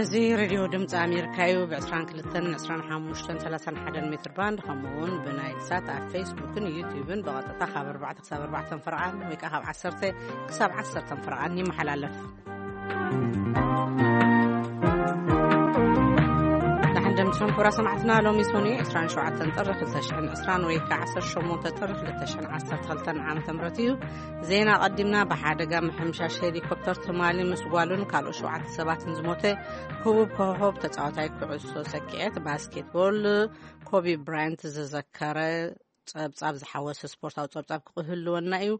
እዚ ሬድዮ ድምፂ ኣሜሪካ እዩ። ብ22፣ 25፣ 31 ሜትር ባንድ፣ ከምኡ እውን ብናይል ሳት ኣብ ፌስቡክን ዩቲዩብን ብቐጥታ ካብ ኣርባዕተ ክሳብ ኣርባዕተ ፈረቓን ወይ ከዓ ካብ ዓሰርተ ክሳብ ዓሰርተ ፈረቓን ይመሓላለፍ። ንሕንደምስም ክቡራ ሰማዕትና፣ ሎሚ ሶኒ 27 ጥሪ 2020 ወይ ከዓ 18 ጥሪ 2012 ዓመተ ምህረት እዩ። ዜና ቀዲምና። ብሓደጋ ምሕምሻሽ ሄሊኮፕተር ትማሊ ምስ ጓሉን ካልኦት ሸውዓተ ሰባትን ዝሞተ ህቡብ ኮኾብ ተጻዋታይ ኩዕሶ ሰኪዔት ባስኬትቦል ኮቢ ብራያንት ዝዘከረ ጸብጻብ ዝሓወሰ ስፖርታዊ ጸብጻብ ክህልወና እዩ።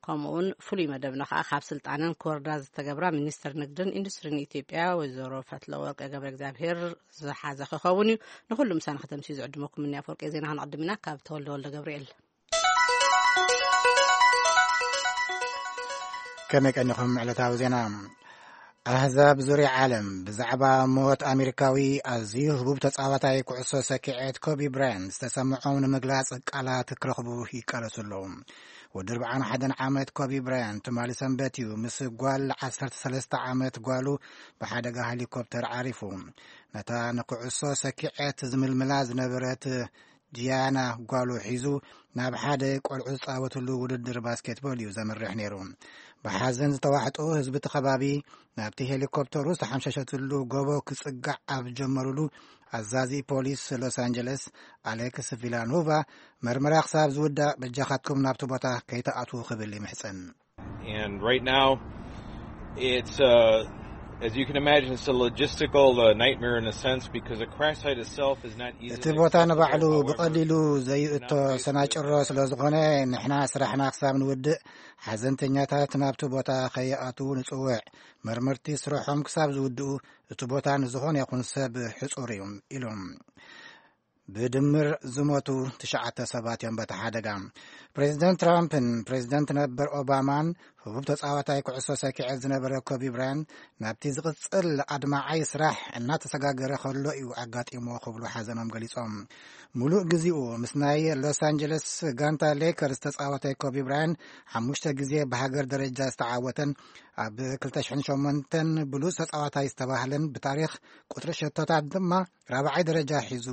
ከምኡውን ፍሉይ መደብና ከዓ ካብ ስልጣነን ክወርዳ ዝተገብራ ሚኒስትር ንግድን ኢንዱስትሪን ኢትዮጵያ ወይዘሮ ፈትለወርቅ ገብረ እግዚኣብሔር ዝሓዘ ክኸውን እዩ። ንኩሉ ምሳና ከተምስዩ ዝዕድመኩም እኒ ኣፈወርቂ። ዜና ክንቕድም ኢና ካብ ተወልደ ወልደ ገብርኤል። ከመይ ቀኒኹም? ዕለታዊ ዜና። ኣህዛብ ዙርያ ዓለም ብዛዕባ ሞት ኣሜሪካዊ ኣዝዩ ህቡብ ተጻዋታይ ኩዕሶ ሰኪዔት ኮቢ ብራያንት ዝተሰምዖም ንምግላጽ ቃላት ክረኽቡ ይቃለሱ ኣለዉ። ወዲ 41 ዓመት ኮቢ ብራያንት ትማሊ ሰንበት እዩ ምስ ጓል 13 ዓመት ጓሉ ብሓደጋ ሄሊኮፕተር ዓሪፉ። ነታ ንኩዕሶ ሰኪዔት ዝምልምላ ዝነበረት ጂያና ጓሉ ሒዙ ናብ ሓደ ቆልዑ ዝጻወትሉ ውድድር ባስኬትቦል እዩ ዘምርሕ ነይሩ። ብሓዘን ዝተዋሕጡ ህዝቢ እቲ ከባቢ ናብቲ ሄሊኮፕተሩ ዝተሓምሸሸትሉ ጎቦ ክጽጋዕ ኣብ ጀመሩሉ፣ ኣዛዚ ፖሊስ ሎስ ኣንጀለስ ኣሌክስ ቪላኖቫ፣ መርመራ ክሳብ ዝውዳእ በጃኻትኩም ናብቲ ቦታ ከይተኣትዉ ክብል ይምሕጸን። And right now, it's, uh, as you can imagine, it's a logistical, uh, nightmare in a sense because the crash site itself is not easily እቲ ቦታ ንባዕሉ ብቐሊሉ ዘይእቶ ሰናጭሮ ስለ ዝኾነ፣ ንሕና ስራሕና ክሳብ ንውድእ ሓዘንተኛታት ናብቲ ቦታ ከይኣትዉ ንጽውዕ። መርመርቲ ስርሖም ክሳብ ዝውድኡ እቲ ቦታ ንዝኾነ ይኹን ሰብ ሕጹር እዩ ኢሎም። ብድምር ዝሞቱ ትሽዓተ ሰባት እዮም በቲ ሓደጋ። ፕሬዚደንት ትራምፕን ፕሬዚደንት ነበር ኦባማን ህቡብ ተጻዋታይ ኩዕሶ ሰኪዐት ዝነበረ ኮቢ ብራያንት ናብቲ ዝቕጽል ኣድማዓይ ስራሕ እናተሰጋገረ ከሎ እዩ ኣጋጢሞ ክብሉ ሓዘኖም ገሊጾም። ሙሉእ ግዜኡ ምስ ናይ ሎስ ኣንጀለስ ጋንታ ሌከርስ ተጻዋታይ ኮቢ ብራያንት ሓሙሽተ ግዜ ብሃገር ደረጃ ዝተዓወተን ኣብ 2008 ብሉጽ ተጻዋታይ ዝተባህለን ብታሪኽ ቁጽሪ ሸቶታት ድማ ራብዓይ ደረጃ ሒዙ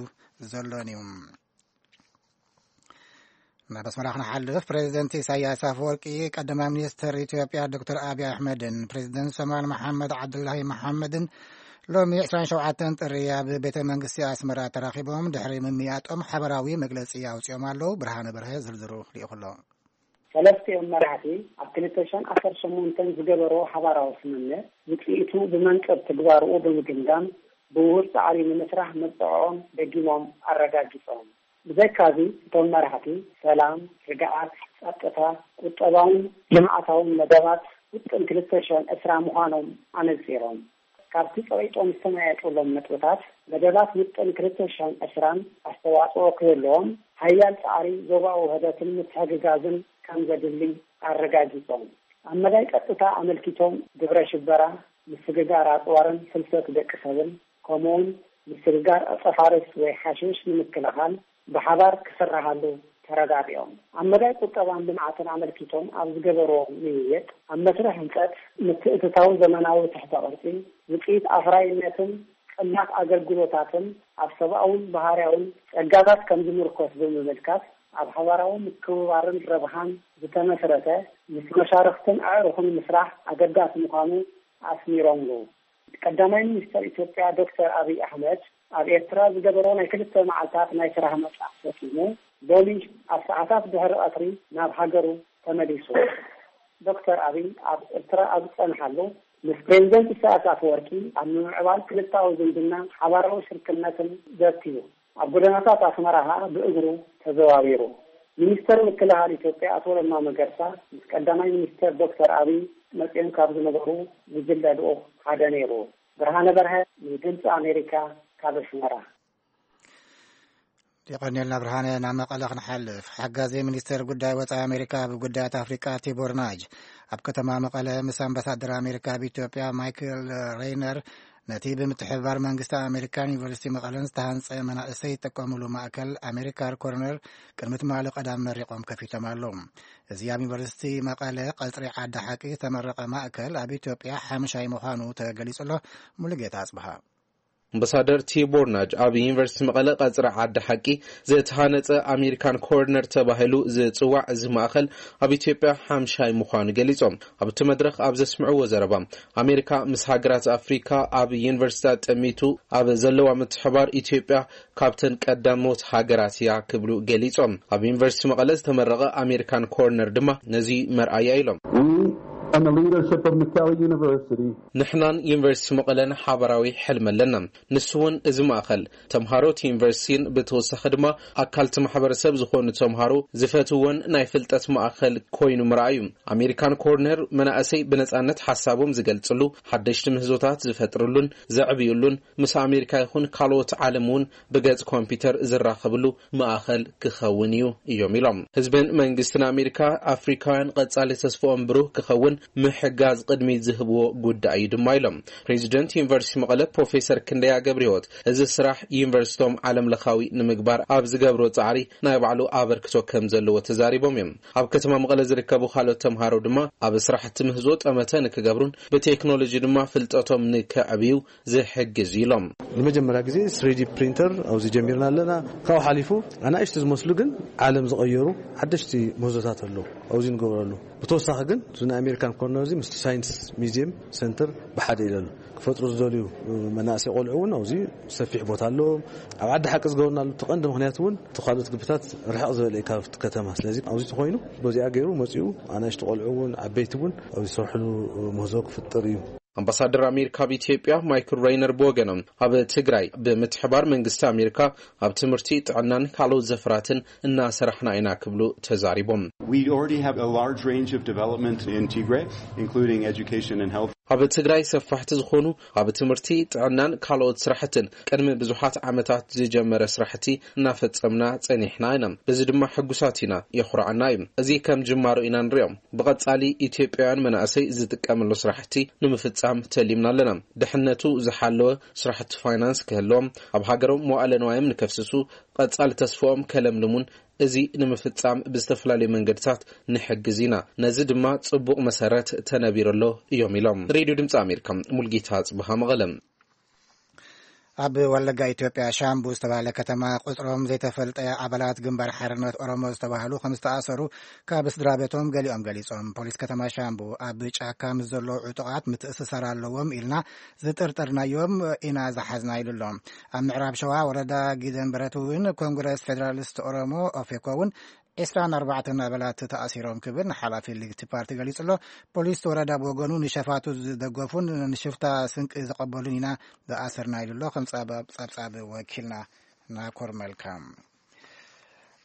ዘሎን እዩ። ናብ ኣስመራ ክንሓልፍ፣ ፕሬዚደንት ኢሳያስ ኣፈወርቂ ቀዳማይ ሚኒስትር ኢትዮጵያ ዶክተር ኣብይ ኣሕመድን ፕሬዚደንት ሶማል መሓመድ ዓብዱላሂ መሓመድን ሎሚ 27 ጥሪ ኣብ ቤተ መንግስቲ ኣስመራ ተራኺቦም ድሕሪ ምምያጦም ሓበራዊ መግለጺ ኣውጺኦም ኣለዉ። ብርሃነ በርሀ ዝርዝሩ ልኢኹ ኣሎ። ሰለስቲኦም መራሕቲ ኣብ 2018 ዝገበርዎ ሓባራዊ ስምምዕ ውፅኢቱ ብመንፅር ትግባርኡ ብምግምጋም ብውሁድ ፃዕሪ ንምስራሕ መብፅዕኦም ደጊሞም ኣረጋጊፆም። ብዘይካዚ እቶም መራሕቲ ሰላም፣ ርግኣት፣ ፀጥታ፣ ቁጠባውን ልምዓታውን መደባት ውጥን 2020 ምዃኖም ኣነፂሮም። ካብቲ ፀቒጦም ዝተመያየጡሎም ነጥብታት መደባት ውጥን 2020ን ኣስተዋፅኦ ክህልዎም ሓያል ፃዕሪ ዞባዊ ውህደትን ምትሕግጋዝን ከም ዘድሊ ኣረጋጊፆም። ኣብ መዳይ ቀጥታ ኣመልኪቶም ግብረ ሽበራ፣ ምስግጋር ኣፅዋርን ፍልሰት ደቂ ሰብን ከምኡውን ምስግጋር ዕፀፋርስ ወይ ሓሽሽ ንምክልኻል ብሓባር ክስራሃሉ ተረዳዲኦም። ኣብ መዳይ ቁጠባን ልምዓትን ኣመልኪቶም ኣብ ዝገበርዎ ምይይጥ ኣብ መስርሕ ህንፀት ምትእትታው ዘመናዊ ትሕተ ቅርፂ ውፅኢት ኣፍራይነትን ቅናት ኣገልግሎታትን ኣብ ሰብኣውን ባህርያውን ጸጋታት ከም ዝምርኮስ ብምምልካት ኣብ ሓባራዊ ምክብባርን ረብሓን ዝተመስረተ ምስ መሻርኽትን ኣዕሩኽን ምስራሕ ኣገዳሲ ምዃኑ ኣስሚሮምሉ። ቀዳማይ ሚኒስተር ኢትዮጵያ ዶክተር ኣብይ ኣሕመድ ኣብ ኤርትራ ዝገበሮ ናይ ክልተ መዓልታት ናይ ስራሕ መጻእ ፈጺሙ ሎሚ ኣብ ሰዓታት ድሕሪ ቀትሪ ናብ ሃገሩ ተመሊሱ። ዶክተር ኣብይ ኣብ ኤርትራ ኣብ ዝጸንሓሉ ምስ ፕሬዚደንት ኢሳያስ ኣፈወርቂ ኣብ ምምዕባል ክልታዊ ዝምድና ሓባራዊ ሽርክነትን ዘትዩ ኣብ ጎደናታት ኣስመራ ኸኣ ብእግሩ ተዘዋዊሩ። ሚኒስተር ምክልኻል ኢትዮጵያ ኣቶ ለማ መገርሳ ምስ ቀዳማይ ሚኒስተር ዶክተር ኣብይ መጺኦም ካብ ዝነበሩ ጉጅለ ልኡኽ ሓደ ነይሩ። ብርሃነ በርሀ ንድምፂ ኣሜሪካ ካብ ኣስመራ። የቐንየልና ብርሃነ። ናብ መቐለ ክንሓልፍ፣ ሓጋዚ ሚኒስተር ጉዳይ ወፃኢ ኣሜሪካ ብጉዳያት ኣፍሪቃ ቲቦር ናጅ ኣብ ከተማ መቐለ ምስ ኣምባሳደር ኣሜሪካ ኣብ ኢትዮጵያ ማይክል ሬይነር ነቲ ብምትሕብባር መንግስቲ ኣሜሪካን ዩኒቨርሲቲ መቐለን ዝተሃንጸ መናእሰይ ይጥቀሙሉ ማእከል ኣሜሪካን ኮርነር ቅድሚ ትማሊ ቀዳም መሪቖም ከፊቶም ኣለዉ። እዚ ኣብ ዩኒቨርሲቲ መቐለ ቀጽሪ ዓዲ ሓቂ ዝተመረቐ ማእከል ኣብ ኢትዮጵያ ሓምሻይ ምዃኑ ተገሊጹ ኣሎ። ሙሉጌታ ኣጽብሃ። ኣምባሳደር ቲቦር ናጅ ኣብ ዩኒቨርሲቲ መቐለ ቀጽሪ ዓዲ ሓቂ ዝተሃነጸ ኣሜሪካን ኮርነር ተባሂሉ ዝጽዋዕ እዚ ማእኸል ኣብ ኢትዮጵያ ሓምሻይ ምዃኑ ገሊጾም። ኣብቲ መድረኽ ኣብ ዘስምዕዎ ዘረባ፣ ኣሜሪካ ምስ ሃገራት ኣፍሪካ ኣብ ዩኒቨርሲታት ጠሚቱ ኣብ ዘለዋ ምትሕባር ኢትዮጵያ ካብተን ቀዳሞት ሃገራት እያ ክብሉ ገሊጾም። ኣብ ዩኒቨርሲቲ መቐለ ዝተመረቐ ኣሜሪካን ኮርነር ድማ ነዚ መርኣያ ኢሎም። We and the leadership of McKellar University ንሕናን ዩኒቨርሲቲ መቐለን ሓባራዊ ሕልሚ ኣለና። ንሱ እውን እዚ ማእኸል ተምሃሮ እቲ ዩኒቨርሲቲን ብተወሳኺ ድማ ኣካልቲ ማሕበረሰብ ዝኾኑ ተምሃሮ ዝፈትዎን ናይ ፍልጠት ማእኸል ኮይኑ ምርኣዩ። ኣሜሪካን ኮርነር መናእሰይ ብነፃነት ሓሳቦም ዝገልጽሉ፣ ሓደሽቲ ምህዞታት ዝፈጥርሉን ዘዕብዩሉን፣ ምስ ኣሜሪካ ይኹን ካልኦት ዓለም እውን ብገጽ ኮምፒውተር ዝራኸብሉ ማእኸል ክኸውን እዩ እዮም ኢሎም። ህዝብን መንግስትን ኣሜሪካ ኣፍሪካውያን ቀጻሊ ተስፍኦም ብሩህ ክኸውን ምሕጋዝ ቅድሚት ዝህብዎ ጉዳይ እዩ ድማ ኢሎም። ፕሬዚደንት ዩኒቨርሲቲ መቐለ ፕሮፌሰር ክንደያ ገብረህይወት፣ እዚ ስራሕ ዩኒቨርሲቶም ዓለም ለኻዊ ንምግባር ኣብ ዝገብሮ ጻዕሪ ናይ ባዕሉ ኣበርክቶ ከም ዘለዎ ተዛሪቦም እዮም። ኣብ ከተማ መቐለ ዝርከቡ ካልኦት ተምሃሮ ድማ ኣብ ስራሕቲ ምህዞ ጠመተ ንክገብሩን ብቴክኖሎጂ ድማ ፍልጠቶም ንከዕብዩ ዝሕግዝ ኢሎም። ንመጀመርያ ግዜ ስሪዲ ፕሪንተር ኣብዚ ጀሚርና ኣለና። ካብኡ ሓሊፉ ኣናእሽቲ ዝመስሉ ግን ዓለም ዝቐየሩ ሓደሽቲ ምህዞታት ኣለዉ። ኣብዚ ንገብረሉ። ብተወሳኺ ግን እዚ ናይ ኣሜሪካን ኮርነር እዚ ምስቲ ሳይንስ ሚዚየም ሰንተር ብሓደ ኢለሉ ክፈጥሩ ዝደልዩ መናእሰይ ቆልዑ እውን ኣብዚ ሰፊሕ ቦታ ኣለዎም። ኣብ ዓዲ ሓቂ ዝገበርናሉ እቲ ቀንዲ ምኽንያት እውን እቲ ካልኦት ግብታት ርሕቕ ዝበለ እዩ ካብቲ ከተማ። ስለዚ ኣብዚ ተኮይኑ በዚኣ ገይሩ መፂኡ ኣናእሽቲ ቆልዑ እውን ዓበይቲ እውን ኣብዚ ዝሰርሕሉ ምህዞ ክፍጥር እዩ። ኣምባሳደር ኣሜሪካ ኣብ ኢትዮጵያ ማይክል ሬይነር ብወገኖም፣ ኣብ ትግራይ ብምትሕባር መንግስቲ ኣሜሪካ ኣብ ትምህርቲ፣ ጥዕናን ካልኦት ዘፈራትን እናሰራሕና ኢና ክብሉ ተዛሪቦም። We already have a large range of development in Tigray, including education and health. ኣብ ትግራይ ሰፋሕቲ ዝኾኑ ኣብ ትምህርቲ፣ ጥዕናን ካልኦት ስራሕትን ቅድሚ ብዙሓት ዓመታት ዝጀመረ ስራሕቲ እናፈጸምና ጸኒሕና ኢና። በዚ ድማ ሕጉሳት ኢና፣ የኹርዓና እዩ። እዚ ከም ጅማሮ ኢና ንሪኦ። ብቐጻሊ ኢትዮጵያውያን መናእሰይ ዝጥቀምሉ ስራሕቲ ንምፍጻም ተሊምና ኣለና። ድሕነቱ ዝሓለወ ስራሕቲ ፋይናንስ ክህልዎም፣ ኣብ ሃገሮም መዋእለ ንዋዮም ንከፍስሱ፣ ቀጻሊ ተስፍኦም ከለምልሙን፣ እዚ ንምፍጻም ብዝተፈላለዩ መንገድታት ንሕግዝ ኢና። ነዚ ድማ ጽቡቕ መሰረት ተነቢሩ ኣሎ እዮም ኢሎም። ሬድዮ ድምጺ ኣሜሪካ፣ ሙልጌታ ጽብሃ መቐለ። ኣብ ወለጋ ኢትዮጵያ ሻምቡ ዝተባህለ ከተማ ቁጽሮም ዘይተፈልጠ ኣባላት ግንባር ሓርነት ኦሮሞ ዝተባህሉ ከም ዝተኣሰሩ ካብ ስድራ ቤቶም ገሊኦም ገሊጾም። ፖሊስ ከተማ ሻምቡ ኣብ ጫካ ምስ ዘለዉ ዕጡቓት ምትእስሳር ኣለዎም ኢልና ዝጥርጠርናዮም ኢና ዝሓዝና ኢሉ ኣሎ። ኣብ ምዕራብ ሸዋ ወረዳ ጊደንበረት እውን ኮንግረስ ፌደራሊስት ኦሮሞ ኦፌኮ እውን ዕስራን ኣርባዕተን ኣባላት ተኣሲሮም ክብል ንሓላፊ ልግቲ ፓርቲ ገሊጹ ኣሎ። ፖሊስ ወረዳ ብወገኑ ንሸፋቱ ዝደገፉን ንሽፍታ ስንቂ ዝቐበሉን ኢና ዝኣሰርና ኢሉ ኣሎ። ከም ጸብጻብ ወኪልና ናኮር መልካ።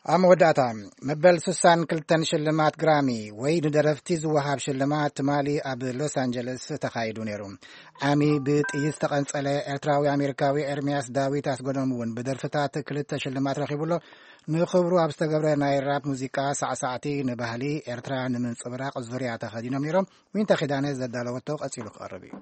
ኣብ መወዳእታ፣ መበል ስሳን ክልተን ሽልማት ግራሚ ወይ ንደረፍቲ ዝወሃብ ሽልማት ትማሊ ኣብ ሎስ ኣንጀለስ ተኻይዱ ነይሩ። ዓሚ ብጥይት ዝተቐንጸለ ኤርትራዊ ኣሜሪካዊ ኤርሚያስ ዳዊት ኣስገዶም እውን ብደርፍታት ክልተ ሽልማት ረኺቡ ኣሎ። ንኽብሩ ኣብ ዝተገብረ ናይ ራፕ ሙዚቃ ሳዕሳዕቲ ንባህሊ ኤርትራ ንምንጽብራቕ ዙርያ ተኸዲኖም ነይሮም። ዊንታ ኪዳነ ዘዳለወቶ ቀጺሉ ክቐርብ እዩ።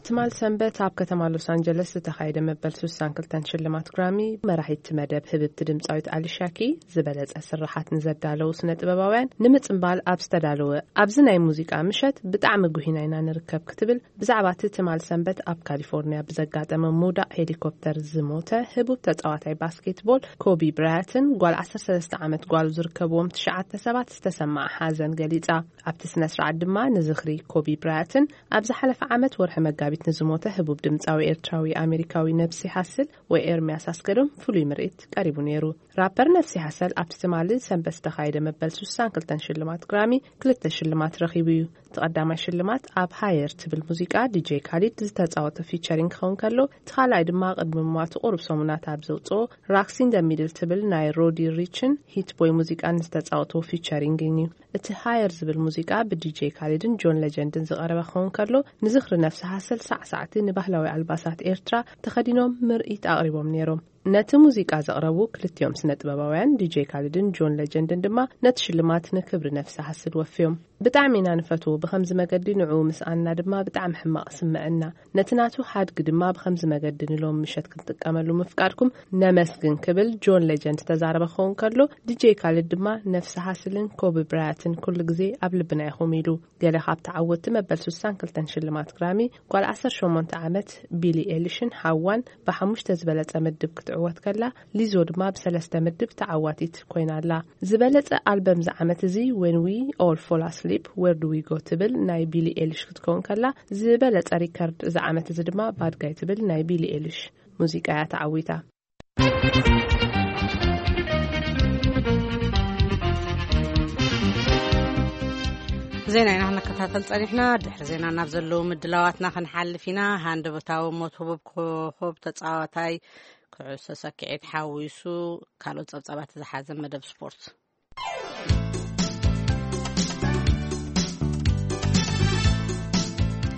ትማል ሰንበት ኣብ ከተማ ሎስ ኣንጀለስ ዝተኻየደ መበል ስሳን ክልተን ሽልማት ግራሚ፣ መራሒት መደብ ህብብቲ ድምፃዊት ኣሊሻ ኪ፣ ዝበለጸ ስርሓት ንዘዳለዉ ስነ ጥበባውያን ንምጽምባል ኣብ ዝተዳለወ ኣብዚ ናይ ሙዚቃ ምሸት፣ ብጣዕሚ ጉሂና ኢና ንርከብ ክትብል ብዛዕባ እቲ ትማል ሰንበት ኣብ ካሊፎርኒያ ብዘጋጠመ ምውዳቕ ሄሊኮፕተር ዝሞተ ህቡብ ተጻዋታይ ባስኬትቦል ኮቢ ብራያትን ጓል ዓሰርተ ሰለስተ ዓመት ጓሉ ዝርከብዎም ትሽዓተ ሰባት ዝተሰምዓ ሓዘን ገሊጻ። ኣብቲ ስነ ስርዓት ድማ ንዝኽሪ ኮቢ ብራያትን ኣብ ዝሓለፈ ዓመት ወርሒ መጋቢት ንዝሞተ ህቡብ ድምፃዊ ኤርትራዊ ኣሜሪካዊ ነብሲ ሃስል ወይ ኤርሚያስ ኣስገዶም ፍሉይ ምርኢት ቀሪቡ ነይሩ። ራፐር ነብሲ ሃሰል ኣብቲ ትማሊ ሰንበት ዝተኻየደ መበል ስሳን ክልተን ሽልማት ግራሚ ክልተ ሽልማት ረኺቡ እዩ። እቲ ቀዳማይ ሽልማት ኣብ ሃየር ትብል ሙዚቃ ዲጄ ካሊድ ዝተፃወቶ ፊቸሪንግ ክኸውን ከሎ፣ እቲ ካልኣይ ድማ ቅድሚ ምሟቱ ቁሩብ ሰሙናት ኣብ ዘውፅኦ ራክስ ኢን ደ ሚድል ትብል ናይ ሮዲ ሪችን ሂት ቦይ ሙዚቃ ንዝተፃወቶ ፊቸሪንግ እዩ። እቲ ሃየር ዝብል ሙዚቃ ብዲጄ ካሊድን ጆን ሌጀንድን ዝቐረበ ክኸውን ከሎ፣ ንዝኽሪ ነፍሲ ሃሰል ሳዕሳዕቲ ንባህላዊ ኣልባሳት ኤርትራ ተኸዲኖም ምርኢት ኣቕሪቦም ነይሮም። ነቲ ሙዚቃ ዘቕረቡ ክልቲኦም ስነ ጥበባውያን ዲጄ ካሊድን ጆን ሌጀንድን ድማ ነቲ ሽልማት ንክብሪ ነፍሲ ሃስል ወፍዮም። ብጣዕሚ ኢና ንፈትዎ። ብኸምዚ መገዲ ንዕኡ ምስኣንና ድማ ብጣዕሚ ሕማቕ ስምዐና። ነቲ ናቱ ሓድጊ ድማ ብኸምዚ መገዲ ንሎም ምሸት ክንጥቀመሉ ምፍቃድኩም ነመስግን ክብል ጆን ሌጀንድ ዝተዛረበ ክኸውን ከሎ፣ ዲጄ ካልድ ድማ ነፍሲ ሃስልን ኮቢ ብራያትን ኩሉ ግዜ ኣብ ልብና ኢኹም ኢሉ። ገለ ካብ ተዓወትቲ መበል ስሳን ክልተን ሽልማት ግራሚ፣ ጓል ዓሰርተ ሸሞንተ ዓመት ቢሊ ኤሊሽን ሓዋን ብሓሙሽተ ዝበለጸ ምድብ ክትዕወት ከላ፣ ሊዞ ድማ ብሰለስተ ምድብ ተዓዋቲት ኮይና ኣላ። ዝበለጸ ኣልበም እዚ ዓመት እዚ When We All Fall Asleep, Where Do We Go ትብል ናይ ቢሊ ኤሊሽ ክትከውን ከላ፣ ዝበለጸ ሪከርድ እዚ ዓመት እዚ ድማ ባድ ጋይ ትብል ናይ ቢሊ ኤሊሽ ሙዚቃ እያ ተዓዊታ። ዜና ኢና ክንከታተል ጸኒሕና። ድሕሪ ዜና ናብ ዘለዉ ምድላዋትና ክንሓልፍ ኢና። ሃንደበታዊ ሞት ህቡብ ኮኾብ ተጻዋታይ ኩዕሶ ሰኪዔት ሓዊሱ ካልኦት ጸብጻባት ዝሓዘ መደብ ስፖርት።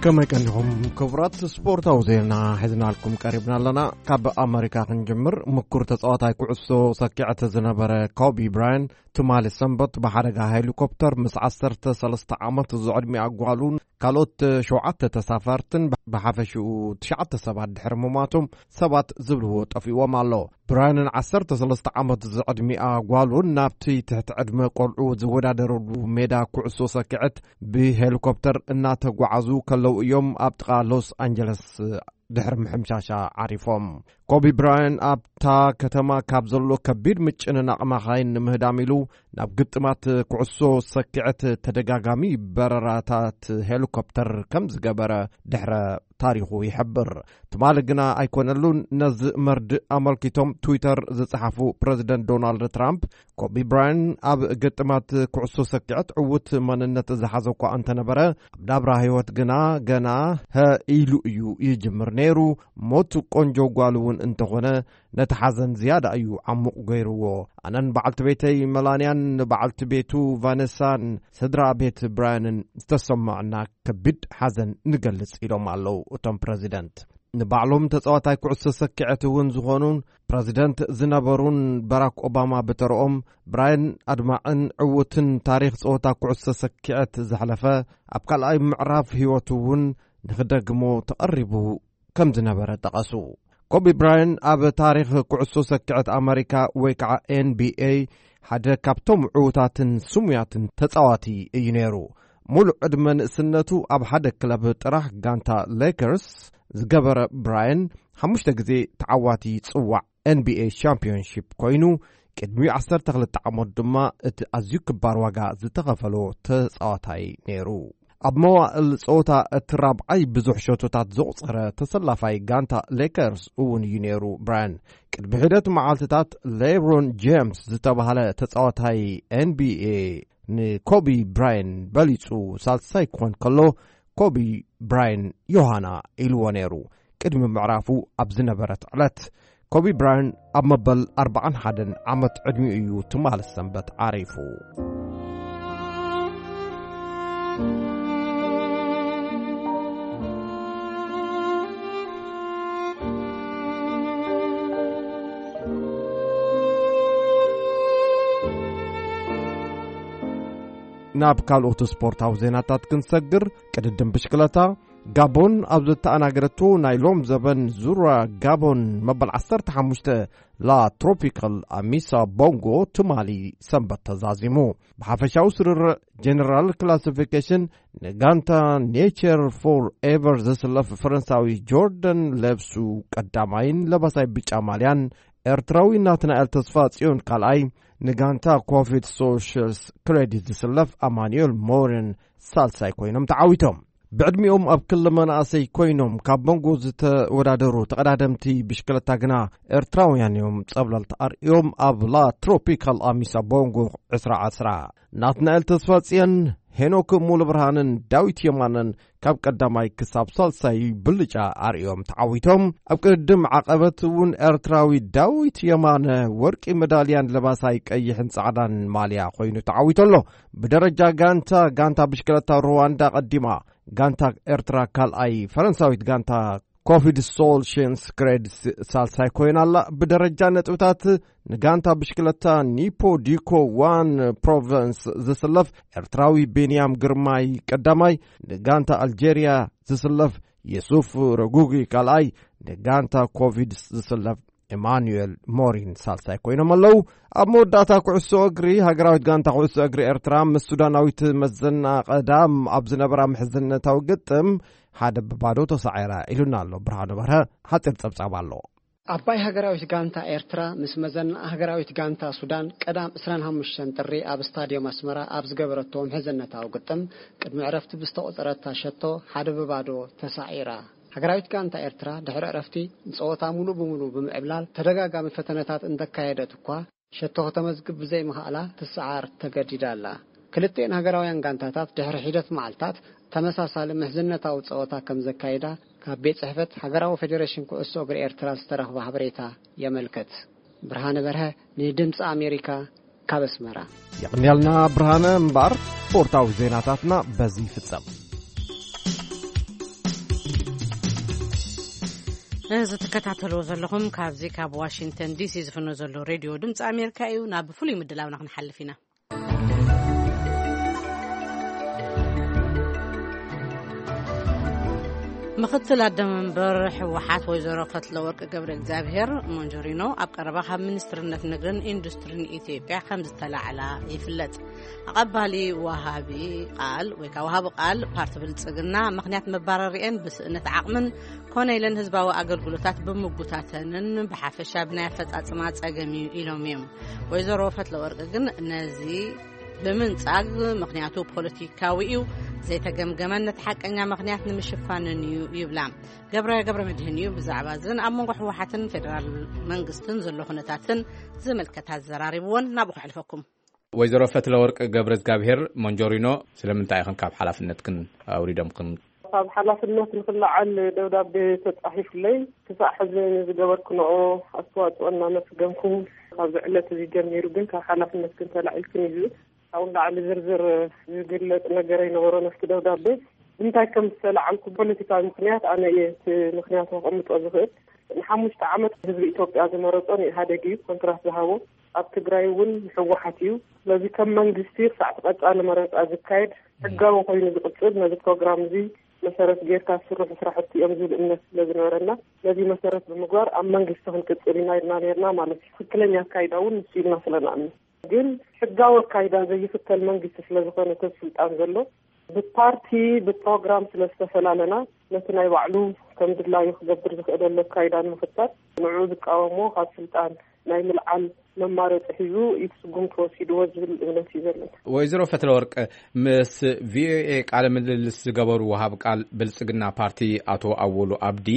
ከመይ ቀኒኹም ክቡራት? ስፖርታዊ ዜና ሒዝናልኩም ቀሪብና ኣለና። ካብ ኣመሪካ ክንጅምር። ምኩር ተጻዋታይ ኩዕሶ ሰኪዐት ዝነበረ ኮቢ ብራያን ትማሊ ሰንበት ብሓደጋ ሄሊኮፕተር ምስ ዓሰርተ ሰለስተ ዓመት ዝዕድሚኣ ጓሉን ካልኦት ሸውዓተ ተሳፈርትን ብሓፈሽኡ ትሽዓተ ሰባት ድሕሪ ምሟቶም ሰባት ዝብልዎ ጠፊዎም ኣሎ። ብራያንን ዓሰርተ ሰለስተ ዓመት ዝዕድሚኣ ጓሉን ናብቲ ትሕቲ ዕድመ ቆልዑ ዝወዳደረሉ ሜዳ ኩዕሶ ሰኪዐት ብሄሊኮፕተር እናተጓዓዙ ከለዉ እዮም ኣብ ጥቓ ሎስ ኣንጀለስ ድሕሪ ምሕምሻሻ ዓሪፎም። ኮቢ ብራያን ኣብታ ከተማ ካብ ዘሎ ከቢድ ምጭንናቕ መኻይን ንምህዳም ኢሉ ናብ ግጥማት ኩዕሶ ሰኪዐት ተደጋጋሚ በረራታት ሄሊኮፕተር ከም ዝገበረ ድሕረ ታሪኹ ይሕብር። ትማሊ ግና ኣይኮነሉን። ነዚ መርድእ ኣመልኪቶም ትዊተር ዝጸሓፉ ፕረዚደንት ዶናልድ ትራምፕ፣ ኮቢ ብራያን ኣብ ግጥማት ኩዕሶ ሰኪዐት ዕዉት መንነት ዝሓዘ እኳ እንተነበረ፣ ኣብ ናብራ ህይወት ግና ገና ሀ ኢሉ እዩ ይጅምር ነይሩ። ሞት ቆንጆ ጓል እውን እንተኾነ፣ ነቲ ሓዘን ዝያዳ እዩ ዓሙቕ ገይርዎ። ኣነን በዓልቲ ቤተይ መላንያን ንበዓልቲ ቤቱ ቫነሳን ስድራ ቤት ብራያንን ዝተሰማዕና ከቢድ ሓዘን ንገልጽ ኢሎም ኣለዉ እቶም ፕረዚደንት። ንባዕሎም ተጻዋታይ ኩዕሶ ሰኪዐት እውን ዝኾኑን ፕረዚደንት ዝነበሩን ባራክ ኦባማ ብተረኦም፣ ብራያን ኣድማዕን ዕዉትን ታሪኽ ጸወታ ኩዕሶ ሰኪዐት ዘሕለፈ፣ ኣብ ካልኣይ ምዕራፍ ህይወቱ እውን ንኽደግሞ ተቐሪቡ ከም ዝነበረ ጠቐሱ። ኮቢ ብራያን ኣብ ታሪኽ ኩዕሶ ሰኪዐት ኣመሪካ ወይ ከዓ ኤን ቢ ኤ ሓደ ካብቶም ዕዉታትን ስሙያትን ተጻዋቲ እዩ ነይሩ። ሙሉእ ዕድመ ንእስነቱ ኣብ ሓደ ክለብ ጥራሕ ጋንታ ሌከርስ ዝገበረ ብራያን ሓሙሽተ ግዜ ተዓዋቲ ጽዋዕ ኤን ቢ ኤ ሻምፒዮንሺፕ ኮይኑ ቅድሚ ዓሰርተ ክልተ ዓመት ድማ እቲ ኣዝዩ ክባር ዋጋ ዝተኸፈሎ ተጻዋታይ ነይሩ። ኣብ መዋእል ጸወታ እቲ ራብዓይ ብዙሕ ሸቶታት ዘቑጸረ ተሰላፋይ ጋንታ ሌከርስ እውን እዩ ነይሩ ብራያን። ቅድሚ ሒደት መዓልትታት ሌብሮን ጄምስ ዝተባህለ ተጻዋታይ ኤን ቢ ኤ ንኮቢ ብራያን በሊጹ ሳልሳይ ክኾን ከሎ፣ ኮቢ ብራያን ዮሃና ኢልዎ ነይሩ። ቅድሚ ምዕራፉ ኣብ ዝነበረት ዕለት፣ ኮቢ ብራያን ኣብ መበል ኣርባዓን ሓደን ዓመት ዕድሚኡ እዩ ትማሊ ሰንበት ዓሪፉ። ናብ ካልኦት ስፖርታዊ ዜናታት ክንሰግር፣ ቅድድም ብሽክለታ፣ ጋቦን ኣብ ዝተኣናገደቶ ናይ ሎም ዘበን ዙራ ጋቦን መበል ዓሰርተ ሓሙሽተ ላ ትሮፒካል ኣሚሳ ቦንጎ ትማሊ ሰንበት ተዛዚሙ። ብሓፈሻዊ ስርርዕ ጀነራል ክላሲፊኬሽን ንጋንታ ኔቸር ፎር ኤቨር ዘስለፍ ፈረንሳዊ ጆርደን ሌብሱ ቀዳማይን ለባሳይ ብጫ ማልያን፣ ኤርትራዊ ናትናኤል ተስፋ ጽዮን ካልኣይ፣ ንጋንታ ኮፊድ ሶሻልስ ክሬዲት ዝስለፍ ኣማኑኤል ሞረን ሳልሳይ ኮይኖም ተዓዊቶም። ብዕድሚኦም ኣብ ክሊ መናእሰይ ኮይኖም ካብ መንጎ ዝተወዳደሩ ተቐዳደምቲ ብሽክለታ ግና ኤርትራውያን እዮም ጸብለልቲ ኣርእዮም ኣብ ላ ትሮፒካል ኣሚሳ ቦንጎ ዕስራ ዕስራ። ናትናኤል ተስፋጽዮን፣ ሄኖክ ሙሉብርሃንን ዳዊት የማነን ካብ ቀዳማይ ክሳብ ሳልሳይ ብልጫ ኣርእዮም ተዓዊቶም። ኣብ ቅድድም ዓቐበት እውን ኤርትራዊ ዳዊት የማነ ወርቂ መዳልያን ለባሳይ ቀይሕን ጻዕዳን ማልያ ኮይኑ ተዓዊቱ ኣሎ። ብደረጃ ጋንታ፣ ጋንታ ብሽክለታ ሩዋንዳ ቀዲማ፣ ጋንታ ኤርትራ ካልኣይ፣ ፈረንሳዊት ጋንታ ኮቪድ ሶልሽንስ ክሬድስ ሳልሳይ ኮይና ኣላ። ብደረጃ ነጥብታት ንጋንታ ብሽክለታ ኒፖ ዲኮ ዋን ፕሮቨንስ ዝስለፍ ኤርትራዊ ቤንያም ግርማይ ቀዳማይ፣ ንጋንታ ኣልጀርያ ዝስለፍ የሱፍ ረጉጊ ካልኣይ፣ ንጋንታ ኮቪድ ዝስለፍ ኤማኑኤል ሞሪን ሳልሳይ ኮይኖም ኣለዉ። ኣብ መወዳእታ ኩዕሶ እግሪ፣ ሃገራዊት ጋንታ ኩዕሶ እግሪ ኤርትራ ምስ ሱዳናዊት መዘና ቀዳም ኣብ ዝነበራ ምሕዝነታዊ ግጥም ሓደ ብባዶ ተሳዒራ ኢሉና ኣሎ ብርሃኑ በርሀ። ሓጺር ጸብጻብ ኣሎ። ኣባይ ሃገራዊት ጋንታ ኤርትራ ምስ መዘና ሃገራዊት ጋንታ ሱዳን ቀዳም ዕስራን ሓሙሽተን ጥሪ ኣብ ስታድዮም ኣስመራ ኣብ ዝገበረቶ ምሕዝነታዊ ግጥም፣ ቅድሚ ዕረፍቲ ብዝተቖጸረታ ሸቶ ሓደ ብባዶ ተሳዒራ። ሃገራዊት ጋንታ ኤርትራ ድሕሪ ዕረፍቲ ንጸወታ ሙሉእ ብሙሉእ ብምዕብላል ተደጋጋሚ ፈተነታት እንተካየደት እኳ፣ ሸቶ ከተመዝግብ ብዘይምኽኣላ ትሰዓር ተገዲዳ ኣላ። ክልቲኤን ሃገራውያን ጋንታታት ድሕሪ ሒደት መዓልታት ተመሳሳሊ ምሕዝነታዊ ጸወታ ከም ዘካይዳ ካብ ቤት ጽሕፈት ሃገራዊ ፌደሬሽን ኩዕሶ እግሪ ኤርትራ ዝተረኽበ ሓበሬታ የመልክት። ብርሃነ በርሀ ንድምጺ ኣሜሪካ ካብ ኣስመራ። የቕንያልና ብርሃነ። እምበኣር ስፖርታዊ ዜናታትና በዚ ይፍጸም። እዚ ትከታተልዎ ዘለኹም ካብዚ ካብ ዋሽንግተን ዲሲ ዝፍኖ ዘሎ ሬድዮ ድምፂ ኣሜሪካ እዩ። ናብ ፍሉይ ምድላውና ክንሓልፍ ኢና። ምኽትል ኣደ መንበር ህወሓት ወይዘሮ ፈትለወርቅ ገብረ እግዚኣብሔር ሞንጆሪኖ ኣብ ቀረባ ካብ ሚኒስትርነት ንግድን ኢንዱስትሪን ኢትዮጵያ ከም ዝተላዕላ ይፍለጥ። ኣቐባሊ ወሃቢ ቃል ወይ ከዓ ወሃቢ ቃል ፓርቲ ብልጽግና ምኽንያት መባረሪአን ብስእነት ዓቕምን ኮነ ኢለን ህዝባዊ ኣገልግሎታት ብምጉታተንን ብሓፈሻ ብናይ ኣፈጻጽማ ጸገም እዩ ኢሎም እዮም። ወይዘሮ ፈትለወርቅ ግን ነዚ ብምንጻግ ምኽንያቱ ፖለቲካዊ እዩ፣ ዘይተገምገመን ነቲ ሓቀኛ ምኽንያት ንምሽፋንን እዩ ይብላ። ገብረ ገብረ መድህን እዩ ብዛዕባ እዝን ኣብ መንጎ ህወሓትን ፌደራል መንግስትን ዘሎ ኩነታትን ዝምልከት ኣዘራሪብዎን ናብኡ ከሕልፈኩም። ወይዘሮ ፈትለወርቅ ገብረ እግዚኣብሔር ሞንጆሪኖ ስለምንታይ ኢኽን ካብ ሓላፍነትክን ኣውሪዶምክን? ካብ ሓላፍነት ንክለዓል ደብዳቤ ተጻሒፉለይ ክሳዕ ሕዚ ንዝገበርክንኦ ኣስተዋጽኦ እናመስገንኩ ካብዚ ዕለት እዚ ጀሚሩ ግን ካብ ሓላፍነትክን ተላዒልክን እዩ ዝብል። ካብኡ ንላዕሊ ዝርዝር ዝግለጽ ነገር ኣይነበሮን ኣብቲ ደብዳቤ። ብምንታይ ከም ዝተላዓልኩ ፖለቲካዊ ምኽንያት ኣነ እየ እቲ ምኽንያት ከቐምጦ ዝኽእል። ንሓሙሽተ ዓመት ህዝቢ ኢትዮጵያ ዝመረጾ ንኢህኣደግ እዩ ኮንትራት ዝሃቦ። ኣብ ትግራይ እውን ህወሓት እዩ። ስለዚ ከም መንግስቲ ክሳዕ እቲ ቀጻሊ መረጻ ዝካየድ ሕጋዊ ኮይኑ ዝቕጽል ነዚ ፕሮግራም እዚ መሰረት ጌርካ ዝስርሑ ስራሕቲ እዮም ዝብል እምነት ስለ ዝነበረና ነዚ መሰረት ብምግባር ኣብ መንግስቲ ክንቅጽል ኢና ኢልና ነርና ማለት እዩ። ትክክለኛ ኣካይዳ እውን ንሱ ኢልና ስለ ንኣምን ግን ሕጋዊ ኣካይዳ ዘይኽተል መንግስቲ ስለ ዝኾነ እቲ ስልጣን ዘሎ ብፓርቲ ብፕሮግራም ስለ ዝተፈላለና ነቲ ናይ ባዕሉ ከም ድላዩ ክገብር ዝኽእለሉ ኣካይዳ ንምኽታል ንዕኡ ዝቃወሞ ካብ ስልጣን ናይ ምልዓል መማረፂ ሒዙ እዩ ስጉምቲ ወሲድዎ ዝብል እምነት እዩ ዘለና። ወይዘሮ ፈትለወርቅ ምስ ቪኦኤ ቃለ ምልልስ ዝገበሩ ወሃብ ቃል ብልፅግና ፓርቲ ኣቶ ኣወሉ ኣብዲ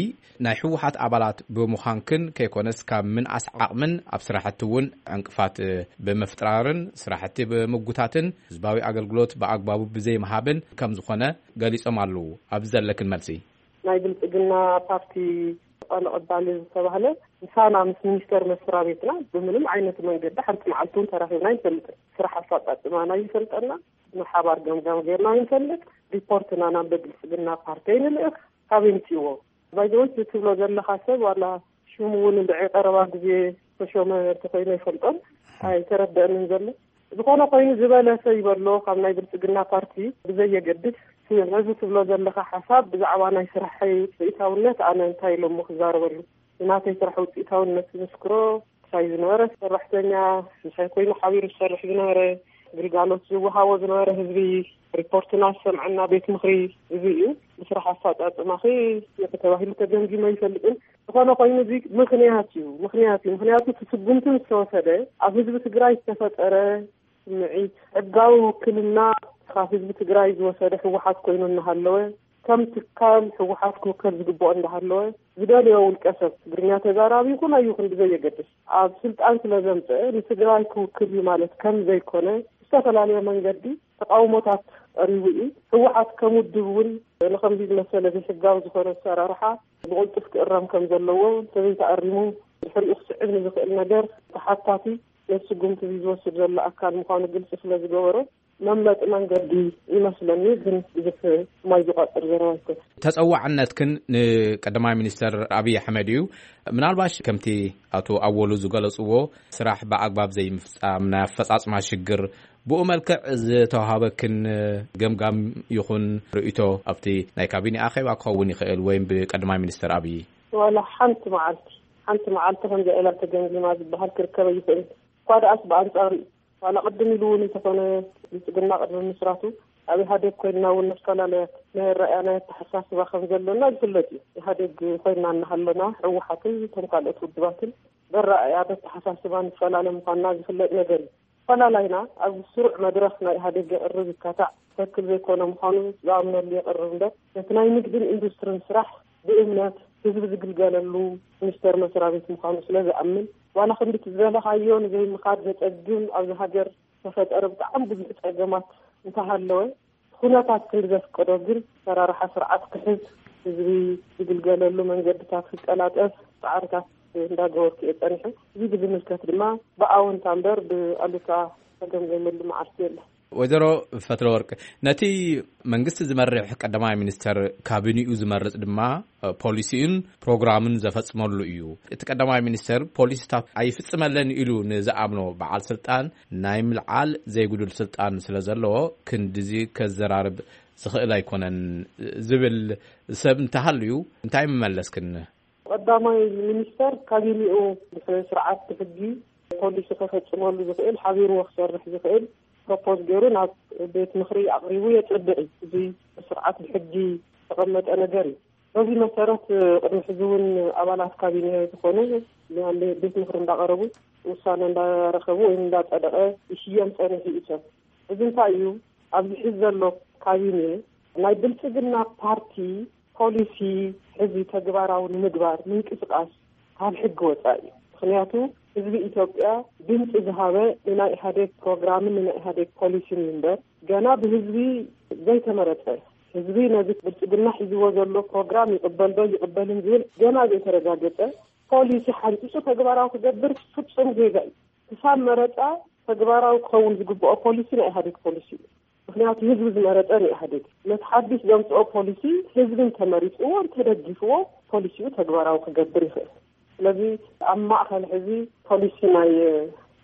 ናይ ህወሓት ኣባላት ብምዃንክን ከይኮነስ ካብ ምንኣስ ዓቕምን ኣብ ስራሕቲ እውን ዕንቅፋት ብምፍጥራርን ስራሕቲ ብምጉታትን ህዝባዊ ኣገልግሎት ብኣግባቡ ብዘይምሃብን ከም ዝኾነ ገሊጾም ኣለዉ። ኣብዚ ዘለክን መልሲ። ናይ ብልፅግና ፓርቲ ቃል ኣቐባሊ ዝተባህለ ምሳና ምስ ሚኒስተር መስሪያ ቤትና ብምንም ዓይነት መንገዲ ሓንቲ መዓልቲ እውን ተራኺብና ኣይንፈልጥን። ስራሕ ኣፈፃፅማና ይፈልጠና፣ ብሓባር ገምጋም ጌርና ይንፈልጥ። ሪፖርትና ናብ ብልፅግና ፓርቲ ኣይንልእኽ። ካበይ ምፅዎ? ባይዘወይ ትብሎ ዘለኻ ሰብ ዋላ ሽሙ እውን እንድዒ ቀረባ ግዜ ተሾመ እንተኮይኑ ኣይፈልጦን ኣይተረደእንን ዘሎ። ዝኾነ ኮይኑ ዝበለሰ ይበሎ ካብ ናይ ብልፅግና ፓርቲ ብዘየገድስ ነዚ ትብሎ ዘለኻ ሓሳብ ብዛዕባ ናይ ስራሐይ ውፅኢታውነት ኣነ እንታይ ኢሎሞ ክዛረበሉ? ንናተይ ስራሕ ውፅኢታውነት ዝምስክሮ ምሳይ ዝነበረ ሰራሕተኛ፣ ምሳይ ኮይኑ ሓቢሩ ዝሰርሕ ዝነበረ፣ ግልጋሎት ዝወሃቦ ዝነበረ ህዝቢ፣ ሪፖርትና ዝሰምዐና ቤት ምኽሪ፣ እዚ እዩ። ብስራሕ ኣፈፃፅማኺ ተባሂሉ ተገምጊመ ኣይፈልጥን። ዝኾነ ኮይኑ እዚ ምኽንያት እዩ፣ ምኽንያት እዩ። ምኽንያቱ እቲ ስጉምቲ ምስ ተወሰደ ኣብ ህዝቢ ትግራይ ዝተፈጠረ ስምዒት፣ ሕጋዊ ውክልና ካብ ህዝቢ ትግራይ ዝወሰደ ህወሓት ኮይኑ እናሃለወ፣ ከም ትካል ህወሓት ክውከል ዝግብኦ እንዳሃለወ፣ ዝደልዮ ውልቀ ሰብ፣ ትግርኛ ተዛራቢ ይኹን ኣይኹን ብዘየገድስ፣ ኣብ ስልጣን ስለ ዘምፀአ ንትግራይ ክውክል እዩ ማለት ከም ዘይኮነ ብዝተፈላለየ መንገዲ ተቃውሞታት ቀሪቡ እዩ። ህወሓት ከም ውድብ እውን ንከምዚ ዝመሰለ ዘይሕጋዊ ዝኾነ ኣሰራርሓ ብቕልጡፍ ክእረም ከም ዘለዎ፣ እንተዘይተኣሪሙ ድሕሪኡ ክስዕብ ንዝኽእል ነገር ተሓታቲ ነቲ ስጉምቲ እዚ ዝወስድ ዘሎ ኣካል ምዃኑ ግልፂ ስለ ዝገበሮ፣ መምለጢ መንገዲ ይመስለኒ። ግን ብዙሕ ማይ ዝቋጥር ዘረባ ኣይኮነን። ተጸዋዕነትክን ንቀዳማይ ሚኒስተር ኣብይ ኣሕመድ እዩ። ምናልባሽ ከምቲ ኣቶ ኣወሉ ዝገለጽዎ፣ ስራሕ ብኣግባብ ዘይምፍጻም፣ ናይ ኣፈጻጽማ ሽግር፣ ብኡ መልክዕ ዝተዋሃበክን ገምጋም ይኹን ርእይቶ ኣብቲ ናይ ካቢኔ ኣኼባ ክኸውን ይኽእል ወይም ብቀዳማይ ሚኒስተር ኣብይ? ዋላ ሓንቲ መዓልቲ፣ ሓንቲ መዓልቲ ከምዚኣ ኢላ ተገምጊማ ዝበሃል ክርከብ ኣይኽእልን። እኳ ደኣስ ብኣንጻሩ እዩ። ዋላ ቅድም ኢሉ እውን እንተኾነ ብልጽግና ቅድሚ ምስራቱ ኣብ ኢህኣዴግ ኮይንና እውን ንፈላለያት ናይ ኣረኣእያ ናይ ኣተሓሳስባ ከም ዘለና ዝፍለጥ እዩ። ኢህኣዴግ ኮይንና እናሃለና ህወሓትን እቶም ካልኦት ውድባትን በረኣእያ በተሓሳስባ ንፈላለ ምዃንና ዝፍለጥ ነገር እዩ። ፈላላይና ኣብ ስሩዕ መድረኽ ናይ ኢህኣዴግ የቕርብ ይካታዕ ትኽክል ዘይኮነ ምዃኑ ዝኣምነሉ የቕርብ እምበር፣ ነቲ ናይ ንግድን ኢንዱስትሪን ስራሕ ብእምነት ህዝቢ ዝግልገለሉ ሚኒስቴር መስሪያ ቤት ምዃኑ ስለ ዝኣምን፣ ዋላ ክንዲ እቲ ዝበለኻዮ ንዘይምኻድ ዘጸግም ኣብዚ ሃገር ዝተፈጠረ ብጣዕሚ ብዙሕ ጸገማት እንተሃለወ፣ ኩነታት ክንዲ ዘፍቀዶ ግን ሰራርሓ ስርዓት ክሕዝ፣ ህዝቢ ዝግልገለሉ መንገድታት ክቀላጠፍ ጻዕርታት እንዳገበርኩ እየ ጸኒሐ። እዚ ብዝምልከት ድማ ብኣወንታ እምበር ብኣሉታ ተገምገመሉ መዓልቲ የለን። ወይዘሮ ፈትለወርቅ፣ ነቲ መንግስቲ ዝመርሕ ቀዳማይ ሚኒስተር ካቢኒኡ ዝመርጽ ድማ ፖሊሲኡን ፕሮግራምን ዘፈጽመሉ እዩ። እቲ ቀዳማይ ሚኒስተር ፖሊሲታት ኣይፍጽመለን ኢሉ ንዝኣምኖ በዓል ስልጣን ናይ ምልዓል ዘይጉዱል ስልጣን ስለ ዘለዎ ክንድዚ ከዘራርብ ዝኽእል ኣይኮነን ዝብል ሰብ እንተሃልዩ እንታይ ምመለስክን? ቀዳማይ ሚኒስተር ካቢኔኡ ብስነ ስርዓት ብሕጊ ፖሊሲ ከፈጽመሉ ዝኽእል፣ ሓቢርዎ ክሰርሕ ዝኽእል ፕሮፖዝ ገይሩ ናብ ቤት ምኽሪ ኣቕሪቡ የጽድቕ እዩ። እዚ ስርዓት ብሕጊ ዝተቐመጠ ነገር እዩ። በዚ መሰረት ቅድሚ ሕዚ እውን ኣባላት ካቢኔ ዝኾኑ ናብ ቤት ምኽሪ እንዳቐረቡ ውሳነ እንዳረኸቡ ወይ እንዳጸደቐ ይሽየም ጸኒሑ እዩ ሰብ። እዚ እንታይ እዩ? ኣብዚ ሕዚ ዘሎ ካቢኔ ናይ ብልጽግና ፓርቲ ፖሊሲ ሕዚ ተግባራዊ ንምግባር ምንቅስቃስ ካብ ሕጊ ወጻኢ እዩ። ምኽንያቱ ህዝቢ ኢትዮጵያ ድምፂ ዝሃበ ንናይ ኢህኣዴግ ፕሮግራምን ንናይ ኢህኣዴግ ፖሊሲን እምበር ገና ብህዝቢ ዘይተመረፀ፣ ህዝቢ ነዚ ብልጽግና ሒዝዎ ዘሎ ፕሮግራም ይቕበል ዶ ይቕበልን ዝብል ገና ዘይተረጋገፀ ፖሊሲ ሓንፂፁ ተግባራዊ ክገብር ፍጹም ጌጋ እዩ። ክሳብ መረፃ ተግባራዊ ክኸውን ዝግብኦ ፖሊሲ ናይ ኢህኣዴግ ፖሊሲ እዩ። ምኽንያቱ ህዝቢ ዝመረፀ ንኢህኣዴግ ነቲ ሓድሽ ዘምፅኦ ፖሊሲ ህዝቢ እንተመሪፅዎ እንተደጊፍዎ ፖሊሲኡ ተግባራዊ ክገብር ይኽእል። ስለዚ ኣብ ማእኸል ሕዚ ፖሊሲ ናይ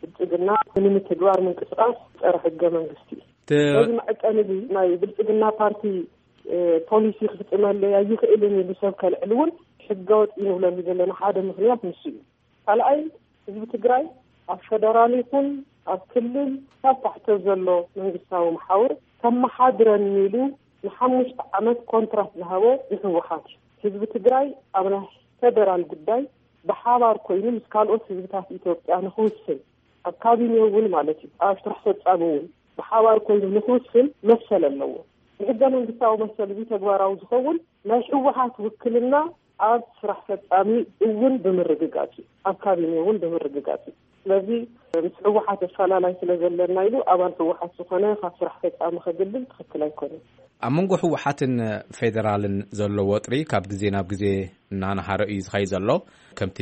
ብልፅግና ንምትግባር ምንቅስቃስ ፀረ ሕገ መንግስቲ እዩ። እቲ በዚ መዐቀኒ እዚ ናይ ብልፅግና ፓርቲ ፖሊሲ ክፍፅመለይ ኣይኽእልን ኢሉ ሰብ ከልዕል እውን ሕገወጥ እዩ ንብለሉ ዘለና ሓደ ምኽንያት ንሱ እዩ። ካልኣይ ህዝቢ ትግራይ ኣብ ፌደራል ይኹን ኣብ ክልል ካብ ታሕተ ዘሎ መንግስታዊ መሓውር ከመሓድረኒ ኢሉ ንሓሙሽተ ዓመት ኮንትራት ዝሃቦ ንህወሓት እዩ። ህዝቢ ትግራይ ኣብ ናይ ፌደራል ጉዳይ ብሓባር ኮይኑ ምስ ካልኦት ህዝብታት ኢትዮጵያ ንክውስን ኣብ ካቢኔ እውን ማለት እዩ ኣብ ስራሕ ፈጻሚ እውን ብሓባር ኮይኑ ንክውስን መሰል ኣለዎ። ብሕገ መንግስታዊ መሰል እዚ ተግባራዊ ዝኸውን ናይ ህወሓት ውክልና ኣብ ስራሕ ፈጻሚ እውን ብምርግጋጽ እዩ፣ ኣብ ካቢኔ እውን ብምርግጋጽ እዩ። ስለዚ ምስ ህወሓት ኣፈላላይ ስለ ዘለና ኢሉ ኣባል ህወሓት ዝኾነ ካብ ስራሕ ፈጻሚ ከግልል ትኽክል ኣይኮነን። ኣብ መንጎ ህወሓትን ፌደራልን ዘሎ ወጥሪ ካብ ግዜ ናብ ግዜ እናነሃረ እዩ ዝኸይ ዘሎ። ከምቲ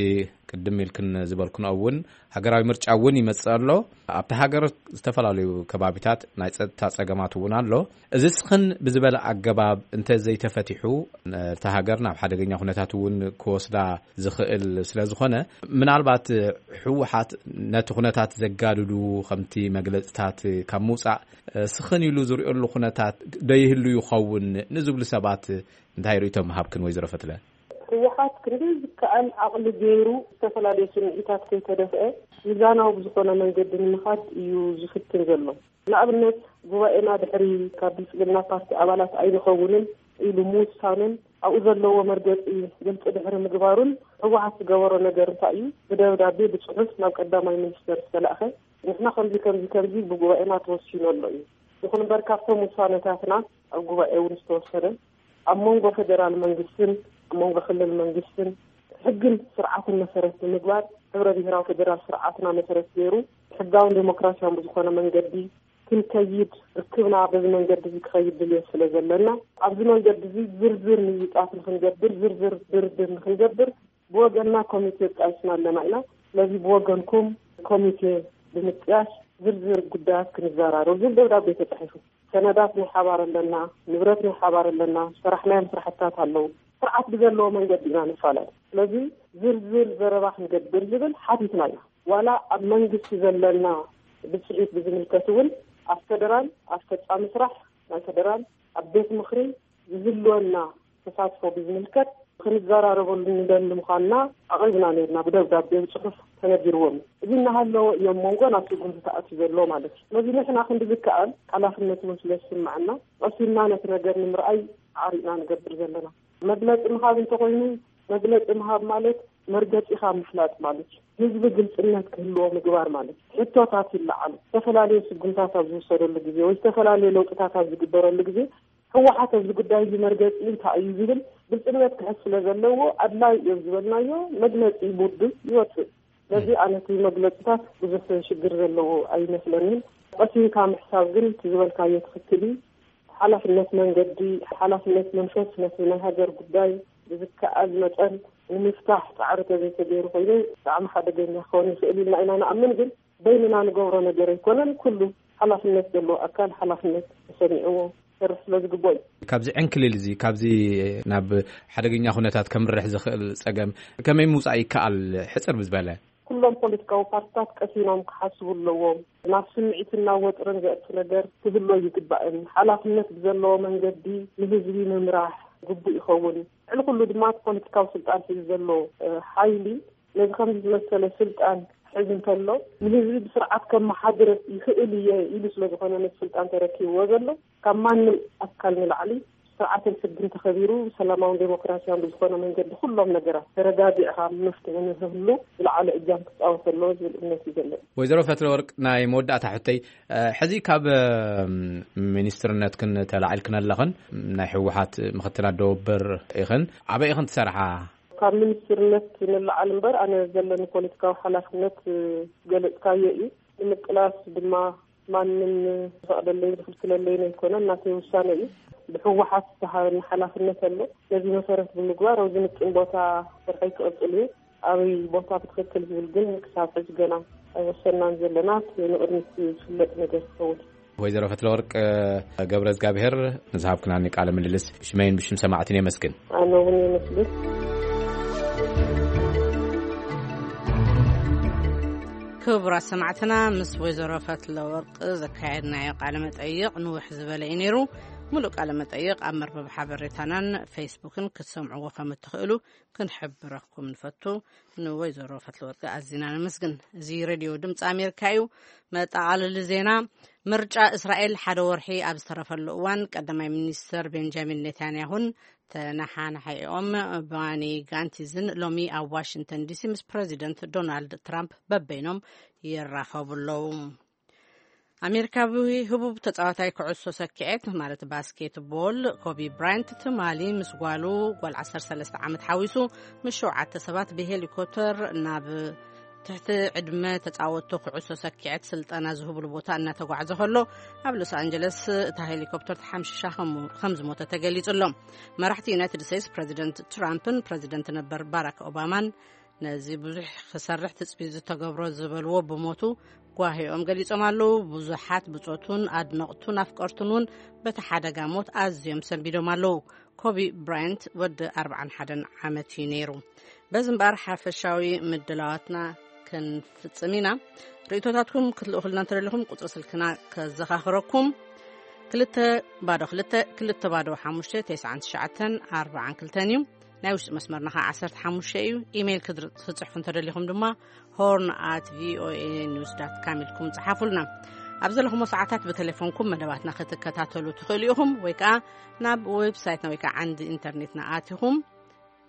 ቅድም ኢልክን ዝበልክን እውን ሃገራዊ ምርጫ እውን ይመጽእ ኣሎ። ኣብቲ ሃገር ዝተፈላለዩ ከባቢታት ናይ ጸጥታ ጸገማት እውን ኣሎ። እዚ ስኽን ብዝበለ ኣገባብ እንተ ዘይተፈቲሑ ነታ ሃገር ናብ ሓደገኛ ኩነታት እውን ክወስዳ ዝኽእል ስለ ዝኾነ ምናልባት ህወሓት ነቲ ኩነታት ዘጋድዱ ከምቲ መግለጽታት ካብ ምውጻእ ስኽን ኢሉ ዝርእየሉ ኩነታት ዶ ይህሉ ይኸውን ንዝብሉ ሰባት እንታይ ርእይቶ ምሃብክን ወይዘሮ ፈትለ? ህወሓት ክንዲ ዝከኣል ዓቕሊ ገይሩ ዝተፈላለዩ ስምዒታት ከይተደፍአ ሚዛናዊ ብዝኾነ መንገዲ ንምኻድ እዩ ዝፍትን ዘሎ። ንኣብነት ጉባኤና ድሕሪ ካብ ብልፅግና ፓርቲ ኣባላት ኣይንኸውንን ኢሉ ምውሳኑን ኣብኡ ዘለዎ መርገፂ ግልፂ ድሕሪ ምግባሩን ህወሓት ዝገበሮ ነገር እንታይ እዩ? ብደብዳቤ ብፅሑፍ ናብ ቀዳማይ ሚኒስተር ዝተላእኸ ንሕና ከምዚ ከምዚ ከምዚ ብጉባኤና ተወሲኑ ኣሎ እዩ። ይኹን እምበር ካብቶም ውሳነታትና ኣብ ጉባኤ እውን ዝተወሰነ ኣብ መንጎ ፌደራል መንግስትን ኣብ መንጎ ክልል መንግስትን ሕግን ስርዓትን መሰረት ብምግባር ሕብረ ብሔራዊ ፌደራል ስርዓትና መሰረት ገይሩ ሕጋውን ዴሞክራሲያውን ብዝኾነ መንገዲ ክንከይድ ርክብና በዚ መንገዲ እዚ ክኸይድ ድልየት ስለ ዘለና ኣብዚ መንገዲ እዚ ዝርዝር ምይይጣት ንክንገብር ዝርዝር ድርድር ንክንገብር ብወገንና ኮሚቴ ጣይስና ኣለና ኢና። ስለዚ ብወገንኩም ኮሚቴ ብምጥያሽ ዝርዝር ጉዳያት ክንዘራረብ ዝብል ደብዳቤ ተጻሒፉ። ሰነዳት ናይ ሓባር ኣለና፣ ንብረት ናይ ሓባር ኣለና፣ ዝሰራሕናዮም ስራሕትታት ኣለዉ። ስርዓት ብዘለዎ መንገዲ ኢና ንፋለጥ። ስለዚ ዝርዝር ዘረባ ክንገብር ዝብል ሓቲትና ኢና። ዋላ ኣብ መንግስቲ ዘለና ብጽሒት ብዝምልከት እውን ኣብ ፈደራል፣ ኣብ ፈጻሚ ስራሕ ናይ ፈደራል፣ ኣብ ቤት ምኽሪ ዝህልወና ተሳትፎ ብዝምልከት ክንዘራረበሉ ንደሊ ምዃንና ኣቕሪብና ነርና። ብደብዳቤ ብጽሑፍ ተነጊርዎም እዩ። እዚ እናሃለወ እዮም መንጎ ናብ ስጉምቲ ተኣትዩ ዘሎ ማለት እዩ። ስለዚ ንሕና ክንዲ ዝከኣል ሓላፍነት እውን ስለ ዝስምዓና ቀሲልና ነቲ ነገር ንምርኣይ ኣዕሪቕና ንገብር ዘለና። መግለጺ ምሃብ እንተኾይኑ፣ መግለጺ ምሃብ ማለት መርገጺኻ ምፍላጥ ማለት እዩ። ህዝቢ ግልጽነት ክህልዎ ምግባር ማለት እዩ። ሕቶታት ይለዓሉ። ዝተፈላለዩ ስጉምታት ኣብ ዝውሰደሉ ግዜ ወይ ዝተፈላለዩ ለውጥታት ኣብ ዝግበረሉ ግዜ ህወሓት ኣብዚ ጉዳይ እዚ መርገጺ እንታይ እዩ ዝብል ግልጽነት ክሕዝ ስለ ዘለዎ ኣድላይ እዮም ዝበልናዮ መግለጺ ብውድብ ይወጽእ። ስለዚ ኣነ እቲ መግለጺታት ብዙሕ ሽግር ዘለዎ ኣይመስለንን። ቀሲንካ ምሕሳብ ግን እቲ ዝበልካዮ ትኽክል እዩ። ሓላፍነት መንገዲ፣ ሓላፍነት መንፈስ ነቲ ናይ ሃገር ጉዳይ ብዝከኣል መጠን ንምፍታሕ ጻዕሪ ተዘይተገይሩ ኮይኑ ብጣዕሚ ሓደገኛ ክኸውን ይኽእል ኢልና ኢና ንኣምን። ግን በይንና ንገብሮ ነገር ኣይኮነን። ኩሉ ሓላፍነት ዘለዎ ኣካል ሓላፍነት ተሰሚዕዎ ክሰርሕ ስለ ዝግብኦ እዩ። ካብዚ ዕንክሊል እዚ፣ ካብዚ ናብ ሓደገኛ ኩነታት ከምርሕ ዝኽእል ጸገም ከመይ ምውጻእ ይከኣል? ሕጽር ብዝበለ። ኩሎም ፖለቲካዊ ፓርትታት ቀሲኖም ክሓስቡ ኣለዎም። ናብ ስምዒትን ናብ ወጥርን ዘእቱ ነገር ክህሉ ይግባእን። ሓላፍነት ብዘለዎ መንገዲ ንህዝቢ ምምራሕ ግቡእ ይኸውን። ልዕሊ ኩሉ ድማ እቲ ፖለቲካዊ ስልጣን ሒዙ ዘሎ፣ እ፣ ሓይሊ ነዚ ከምዚ ዝመሰለ ስልጣን ክሕዝ እንተሎ ንህዝቢ ብስርዓት ከመሓድር ይኽእል እየ ኢሉ ስለ ዝኾነ ነቲ ስልጣን ተረኪብዎ ዘሎ ካብ ማንም ኣካል ንላዕሊ ስርዓትን ሕግን ተኸቢሩ ሰላማውን ዴሞክራሲያውን ብዝኾነ መንገዲ ኩሎም ነገራት ተረጋጊዕኻ መፍትሒ ንክህሉ ዝለዓለ እጃም ክፃወት ኣለዎ ዝብል እምነት እዩ ዘለኒ። ወይዘሮ ፈትለወርቅ፣ ናይ መወዳእታ ሕቶይ፣ እ፣ ሕዚ ካብ፣ እ፣ ሚኒስትርነትክን ተላዒልክን ኣለኽን፣ ናይ ህወሓት ምክትል ኣደወብር ኢኽን፣ ኣበይ ኢኽን ትሰርሓ? ካብ ሚኒስትርነት ንለዓል እምበር ኣነ ዘለኒ ፖለቲካዊ ሓላፍነት፣ እ፣ ገለጽካዮ እዩ። ንምቅላስ ድማ ማንም ዝፈቕደለይን ዝኽልክለለይን ኣይኮነን፣ ናተይ ውሳነ እዩ። ብህወሓት ዝተሃበኒ ሓላፍነት ኣሎ። ነዚ መሰረት ብምግባር ኣብዚ ምጥን ቦታ ስርሐይ ክቕጽል እዩ። ኣበይ ቦታ ብትኽክል ዝብል ግን ክሳብ ሕዚ ገና ኣይወሰናን ዘለና። እቲ ንቕድሚት ዝፍለጥ ነገር ክኸውን። ወይዘሮ ፈትለወርቅ ገብረ እግዚኣብሔር ንዝሃብክናኒ ቃለ ምልልስ ብሽመይን ብሽም ሰማዕትን የመስግን። ኣነ እውን የመስግን። ክቡራት ሰማዕትና፣ ምስ ወይዘሮ ፈትለወርቅ ዘካየድናዮ ቃለ መጠይቕ ንውሕ ዝበለ እዩ ነይሩ። ሙሉእ ቃለ መጠይቕ ኣብ መርበብ ሓበሬታናን ፌስቡክን ክትሰምዕዎ ከም እትኽእሉ ክንሕብረኩም ንፈቱ። ንወይዘሮ ፈትለወርቅ ኣዚና ነመስግን። እዚ ሬድዮ ድምፂ ኣሜሪካ እዩ። መጠቓለሊ ዜና። ምርጫ እስራኤል ሓደ ወርሒ ኣብ ዝተረፈሉ እዋን ቀዳማይ ሚኒስትር ቤንጃሚን ኔታንያሁን ተነሓናሒኦም ባኒ ጋንቲዝን ሎሚ ኣብ ዋሽንግተን ዲሲ ምስ ፕረዚደንት ዶናልድ ትራምፕ በበይኖም ይራኸቡ ኣለዉ። ኣሜሪካዊ ህቡብ ተጻዋታይ ኩዕሶ ሰኪዔት ማለት ባስኬትቦል ኮቢ ብራያንት ትማሊ ምስ ጓሉ፣ ጓል ዓሰርተ ሰለስተ ዓመት ሓዊሱ፣ ምስ ሸውዓተ ሰባት ብሄሊኮፕተር ናብ ትሕቲ ዕድመ ተጻወትቶ ኩዕሶ ሰኪዔት ስልጠና ዝህብሉ ቦታ እናተጓዕዘ ከሎ ኣብ ሎስ ኣንጀለስ እታ ሄሊኮፕተር ተሓምሺሻ ከም፣ ከም ዝሞተ ተገሊጹ ኣሎ። መራሕቲ ዩናይትድ ስቴትስ ፕረዚደንት ትራምፕን ፕረዚደንት ነበር ባራክ ኦባማን ነዚ ብዙሕ ክሰርሕ ትጽቢት ዝተገብሮ ዝበልዎ ብሞቱ ጓሂኦም ገሊጾም ኣለዉ። ብዙሓት ብጾቱን ኣድነቕቱን ኣፍቀርቱን እውን በቲ ሓደጋ ሞት ኣዝዮም ሰንቢዶም ኣለዉ። ኮቢ ብራያንት ወዲ ኣርብዓን ሓደን ዓመት እዩ ነይሩ። በዚ እምበኣር ሓፈሻዊ ምድላዋትና ክንፍጽም ኢና። ርእቶታትኩም ክትልእኹልና እንተደሊኹም ቁጽሪ ስልክና ከዘኻኽረኩም፣ ክልተ ባዶ ክልተ ክልተ ባዶ ሓሙሽተ ተስዓን ትሽዓተን ኣርባዓን ክልተን እዩ። ናይ ውሽጢ መስመርና ኸዓ ዓሰርተ ሓሙሽተ እዩ። ኢሜይል ክድር-፣ ክትጽሕፉ እንተደሊኹም ድማ ሆርን ኣት ቪኦኤ ኒውስ ዳት ካም ኢልኩም ጽሓፉልና። ኣብ ዘለኹሞ ሰዓታት ብቴሌፎንኩም መደባትና ክትከታተሉ ትኽእሉ ኢኹም፣ ወይ ከኣ ናብ ዌብሳይትና ወይ ከኣ ዓንዲ ኢንተርኔትና ኣቲኹም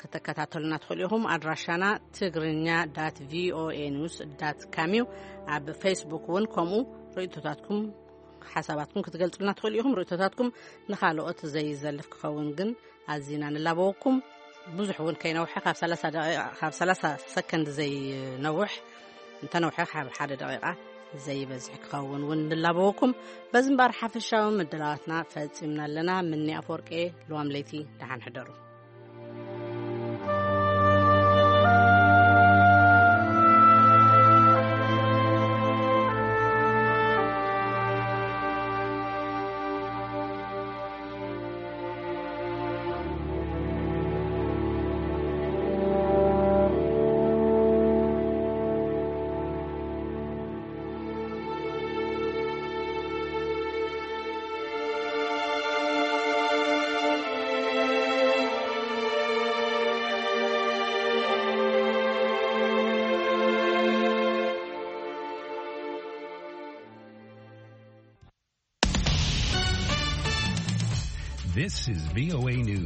ክትከታተሉና ትኽእሉ ኢኹም። ኣድራሻና ትግርኛ ዳት ቪኦኤ ኒውስ ዳት ካም እዩ። ኣብ ፌስቡክ እውን ከምኡ ርእይቶታትኩም፣ ሓሳባትኩም ክትገልጹልና ትኽእሉ ኢኹም። ርእይቶታትኩም ንኻልኦት ዘይዘልፍ ክኸውን ግን ኣዚና ንላበወኩም። ብዙሕ እውን ከይነውሐ፣ ካብ ሰላሳ ደቂቓ፣ ካብ ሰላሳ ሰከንድ ዘይነውሕ፣ እንተነውሐ ካብ ሓደ ደቂቓ ዘይበዝሕ ክኸውን እውን ንላበወኩም። በዚ እምበኣር ሓፈሻዊ ምድላዋትና ፈጺምና ኣለና። ምኒ ኣፈወርቄ፣ ልዋም ለይቲ፣ ደሓን ሕደሩ። This is V O A News.